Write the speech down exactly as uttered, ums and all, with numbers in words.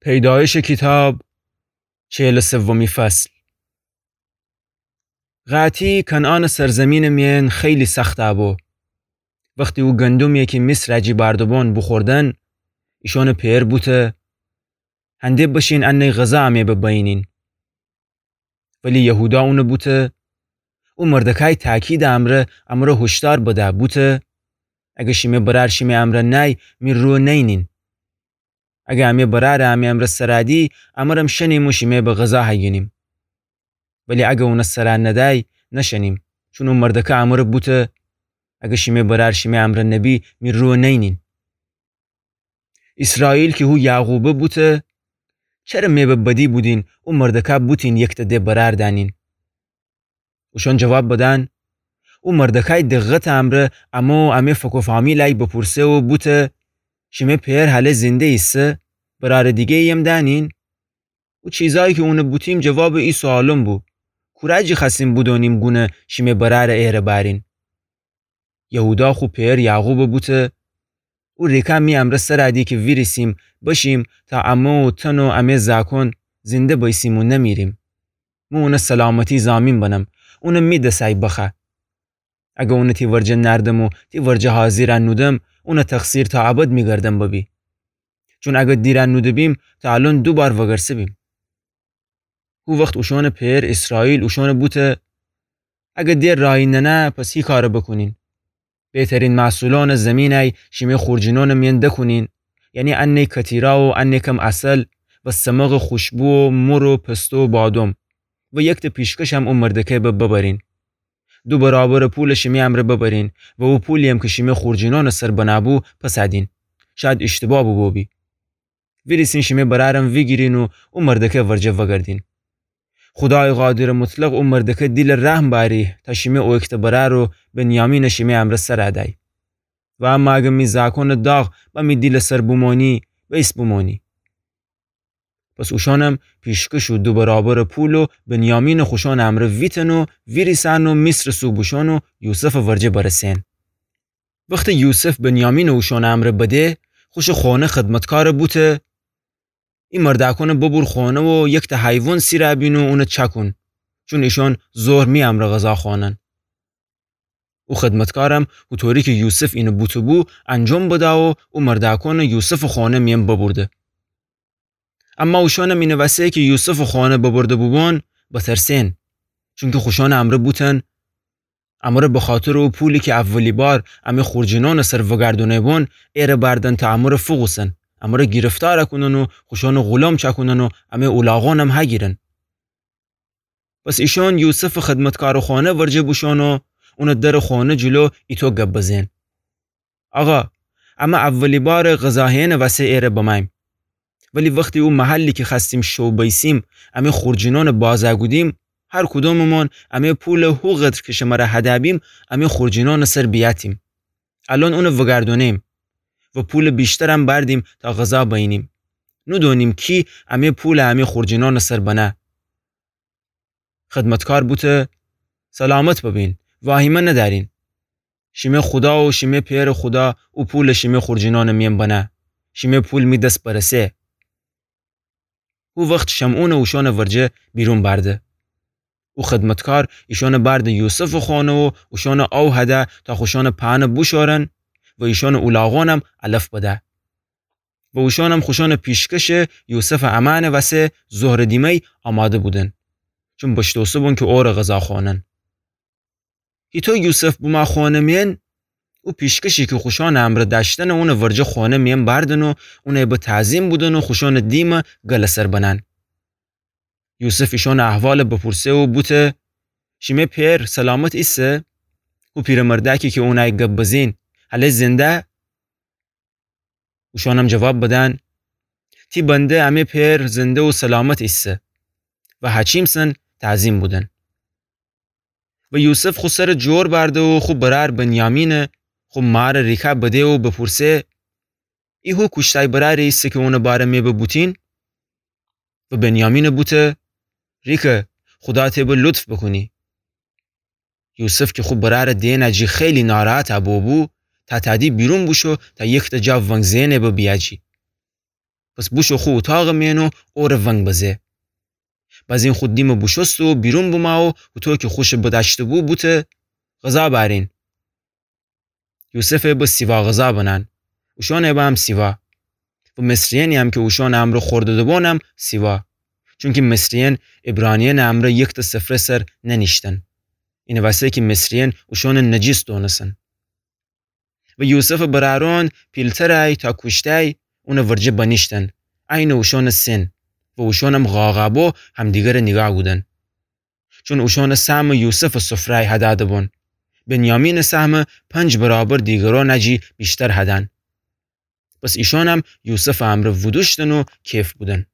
پیدایش کیتاب، چهل و سومی فصل. قحطی کنعانٚ سرزمینٚ میأن خیلی سخت بو. وختی او گندمی کی مصرَ جی بأرده‌بون بوخوردن، ایشأنٚ پئر بوته: هنده بشین انه غذا امه به بینین. ولی یهودا اونٚ بوته: او مردکای تأکیدٚ امرأ امره هوشدار بده بوته: اگر شیمه برأر شیمه امرأ نأی، می رو نینین. اگر امه برأرَ امه امرأ سرَ دی، امرم شنیم و شیمه به غذا هیگینیم. ولی اگر اونٚ سرَ ندأی، نشنیم، چون او مردکه امره بوته: اگر شیمه برأر شیمه امرأ نبی، می رو نینین. ایسرائیل کی هو یعقوبه بوته: چره مه به بدی بودین او مردکه بوتین یکته ده برأر دأنین؟ اوشأن جواب بدن: او مردکای دقتٚ امرأ امه و امه فک و فامیلَی بپورسه و بوته: شیمه پئر هله زنده ایسه؟ برأرٚ دیگه‌ییم دأنین؟ او چیزأیی کی اونٚ بوتیم جوابٚ ای سوالون بو: کورأ جی خوأستیم بودونیم گونه شیمه برأرَ ایره بأرین؟ یهودا خو پئر یعقوبَ بوته: او ریکه می امرأ سرَ دی کی ویریسیم بشیم تا امه و تن و امه زأکون زنده بیسیم و نمیریم. مو اونٚ سلامتی ضامین بنم، اونَ می دسَی بخوأ. اگر اونَ تی ورجه نأردم و تی ورجه حاضیرَ نودم، اونٚ تقصیر تا ابد می گردن ببی. چون اگر دیرَ نوده‌بیم، تا الأن دو بار وگرسه‌بیم. هو وخت اوشأنٚ پئر ایسرائیل اوشأنَ بوته: اگر ده راهی ننه، پس هی کارَ بوکونین. بهترین محصولأنٚ زیمینَی شیمه خورجینأنٚ میأن دکونین، یعنی انه کتیرا و انه کم عسل و سمقٚ خوشبو و مر و پسته و بادم و یکته پیشکشم او مردکه به ببرین. دو برابرٚ پولَ شیمه امرأ ببرین و او پولی‌یم کی شیمه خورجینأنٚ سر بنه‌بو پس دین. شاید ایشتباه بوبو بی. ویریسین شیمه برأرم ویگیرین و او مردکه ورجه وگردین. خودایٚ قادرٚ مطلق او مردکه دیلٚ رحم بأری تا شیمه او ایکته برأر و بنیامینَ شیمه امرأ سرَ دأی. و اما اگر می زأکونٚ داغ به می دیلٚ سر بومونی، بئیس بومونی. پس اوشأنم پیشکش و دو برابرٚ پول و بنیامینَ خوشأنٚ امرأ ویتن و ویریسن و مصرٚ سو بوشون و یوسفٚ ورجه برسه‌ن. وختی یوسف بنیامینَ اوشأنٚ امرأ بده، خوشٚ خانه خدمتکارَ بوته: ای مردأکونَ ببور خانه و یکته حیوان سیرَ بین و اونَ چأکون، چون ایشأن ظهر می امرأ غذا خوأنن. او خدمتکارم هوطوری کی یوسف اینَ بوته‌بو انجام بده و او مردأکونَ یوسفٚ خانه میأن ببورده. اما اوشأنم اینٚ وسه کی یوسفٚ خانه ببرده بوبون بترسه‌ن، چونکی خوشأنٚ امرأ بوتن: امرَ بخاطرٚ او پولی کی اولی بار امه خورجینأنٚ سر وگردونه‌بون ایره بأردن تا امرَ فوکوسن، امرَ گیرفتارَ کونن و خوشأنٚ غلام چأکونن و امه اولاغأنم هگیرن. پس ایشأن یوسفٚ خدمتکارٚ خانه ورجه بوشون و اونٚ درٚ خانه جلو ایتو گب بزه‌ن: آقا، امه اولی بارٚ غذا هئنٚ وسه ایره بمأییم. ولی وختی او محلی کی خوأستیم شو بیسیم، امه خورجینأنٚ بازَ کودیم، هر کدومٚمون امه پولَ هو قدر کی شمرَ هده بیم، امه خورجینأنٚ سر بیأتیم. الأن اونَ وگردونه‌ییم و پولٚ ویشترم بأردیم تا غذا بینیم. نودونیم کی امه پولَ امه خورجینأنٚ سر بنه. خدمتکار بوته: سلامت ببین، واهیمه ندأرین. شیمه خودا و شیمه پئرٚ خودا او پولَ شیمه خورجینأنٚ میأن بنه. شیمه پول می دس برسه. هو وخت شمعونَ اوشأنٚ ورجه بیرون بأرده. او خدمتکار ایشأنَ بأرده یوسفٚ خانه و اوشأنَ او هده تا خوشأنٚ پهنَ بوشأرن و ایشأنٚ اولاغأنم علف بده. و اوشأنم خوشأنٚ پیشکشٚ یوسفٚ امأنٚ وسه ظهرٚ دیمه‌ی آماده بودن، چون بشتوسه‌بون کی اورَ غذا خوأنن. هیطو یوسف بومه خانه میأن، او پیشکشی کی خوشأنٚ امرأ دأشتنَ اونٚ ورجه خانه میأن بأردن و اونَ به تعظیم بودن و خوشأنٚ دیمَ گلٚ سر بنن. یوسف ایشأنٚ احوالَ بپورسه و بوته: شیمه پئر سلامت ایسه؟ هو پیرمردأکی کی اونَی گب بزین، هله زنده؟ اوشأنم جواب بدن: تی بنده امه پئر زنده و سلامت ایسه. و هچیمسن تعظیم بودن. و یوسف خو سرَ جور بأرده و خو برأر بنیامینَ خو مارٚ ریکه بده و بپورسه: ای هو کوشته‌ی برأری ایسه کی اونٚ باره مه به بوتین؟ و بنیامینَ بوته: ریکه، خودا ته به لطف بوکونی. یوسف کی خو برأرٚ دئنٚ جی خیلی ناراحتَ بوبو، تا تأدی بیرون بوشو تا یکته جا ونگ‌زئنٚ به بیأجی. پس بوشو خو اوتاقٚ مئن و اوره ونگ بزه. بزین خو دیمه بوشوسته و بیرون بومو و هوطو کی خوشه بدأشته‌بو بوته: غذا بأرین. یوسفه به سیوا غذا بنأن، اوشأنه به هم سیوا. و مصریأنی هم کی اوشأنٚ امرأ خورده‌ده‌بونم سیوا. چونکی مصریأن عبرانیأنٚ امرأ یکتأ سفره سر ننیشتن. اینه وسه کی مصریأن اوشأنه نجیس دونسن. و یوسفٚ برأرأن پیلترأی تا کوشتأی اونٚ ورجه بنیشتن، عینٚ اوشأنٚ سن، و اوشأنم قاقأبو همدیگره نیگاه کودن. چون اوشأنٚ سهمٚ یوسفٚ سفره‌أی هدأده‌بون. بنیامینٚ سهمٚ پنج برابر دیگرأنٚ جی ویشتر هدأن. پس ایشأنم یوسفٚ امرأ وودوشتن و کیف بودن.